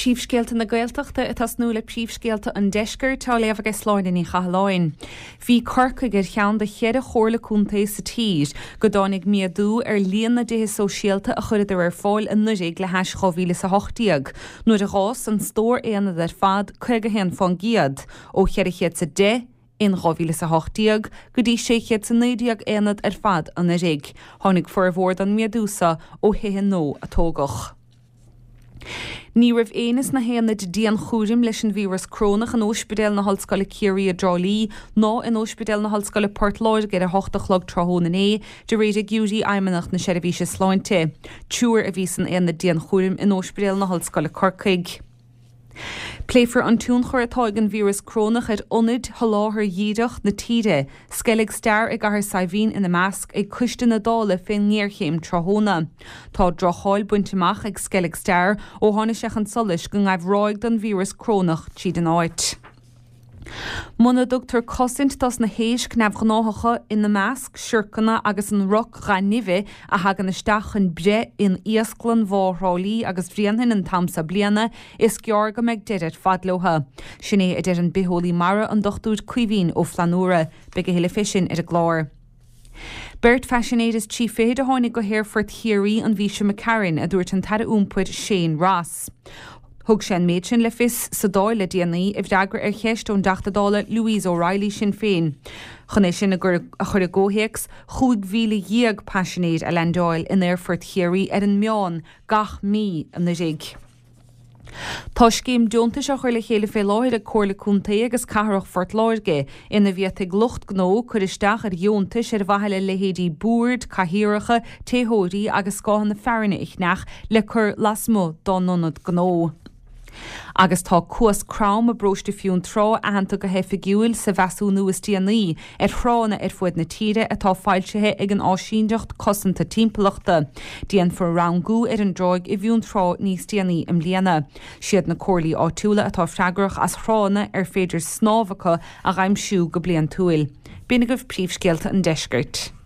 Príomhscéalta na Gaeltachta ag tosnú le príomhscéalta an Deiscirt, á léamh aige Sláine Ní Chathalláin. Bhí Corcaigh ar cheann de cheithre chomhairle contae sa tír go dtáinig méadú ar líon na dtithe sóisialta a chuireadar ar fáil anuraidh le hais 2018, nuair a dh'fhás an stór aonad ar fad 51% ó 410 in 2018 go dtí 619 aonad ar fad anuraidh. Tháinig formhór don méadú so ó thithe nua a tógadh. Ní raibh éinne sna haonaid dianchúraim leis an víreas corónach in Óispidéal na hOllscoile Ciarraí i dTrá Lí ná in Óispidéal na hOllscoile Port Láirge ar 8 a chlog tráthnóna inné, de réir fhigiúirí Fheidhmeannacht na Seirbhíse Sláinte. Triúr a bhí san aonad dianchúraim in Óispidéal na hOllscoile Corcaigh. Pléifear an tionchar atá ag an víreas corónach ar ionaid sholáthair dhíreach na tíre, Sceilg Star i gCathair Saidhbhín ina measc, ag Coiste na Dála fén ngéarchéim tráthnóna. Tá droch-cháil bainte amach ag Sceilg Star ó tháinig sé chun solais go ngaibh ráig den víreas corónach tríd an áit. Muna dtugtar cosaint dos na héisc neamhghnáthacha, ina measc, siorcanna agus an roc dhath nimhe a thagann isteach chun breith in iasclann Bhá Thrá Lí agus Bhréanainn an t-am seo bliana, is gearr go mbeidh deireadh ar fad leotha. Sin é a deir an bitheolaí mara, an Dr Caoimhín Ó Flannúra. Beidh a thuilleadh fé sin ar an gclár. Beirt phaisinéir is 30 a tháinig go hAerfort Chiarraí an mhí seo imigh tharainn, a dúirt an tAire Iompair Shane Ross. Thug sé an méid sin le fios sa Dáil le déanaí i bhfreagra ar cheist ón dTeachta Dála Louise O'Reilly, Sinn Féin. Chun é sin a chur i gcomhthéacs, 15,000 paisinéir a leaindeáil in Aerfort Chiarraí ar an meán gach mí anuraidh. Tá scéim deontais á chur le chéile fé láthair ag Comhairle Contae agus Cathrach Phort Láirge ina bhféadfaidh lucht gnó cur isteach ar dheontais ar mhaithe le leithéidí boird, cathaoireacha, téitheoirí agus scáthanna fearthainne a cheannach le cur lasmuigh dá n-ionad gnó. Agus tá Cuas Crom i bparóiste Fionntrá aitheanta go hoifigiúil sa mheasúnú is déanaí ar thránna ar fuaid na tíre atá foilsithe ag an Áisíneacht Cosanta Timpeallachta. Déanfar rangú ar an dtráigh i bhFionntrá níos déanaí i mbliana. Siad na comhairlí áitiúla atá freagrach as thránna ar féidir snámh acu a dh'aimsiú go bliantúil. B'in agaibh príomhscéalta an deiscirt.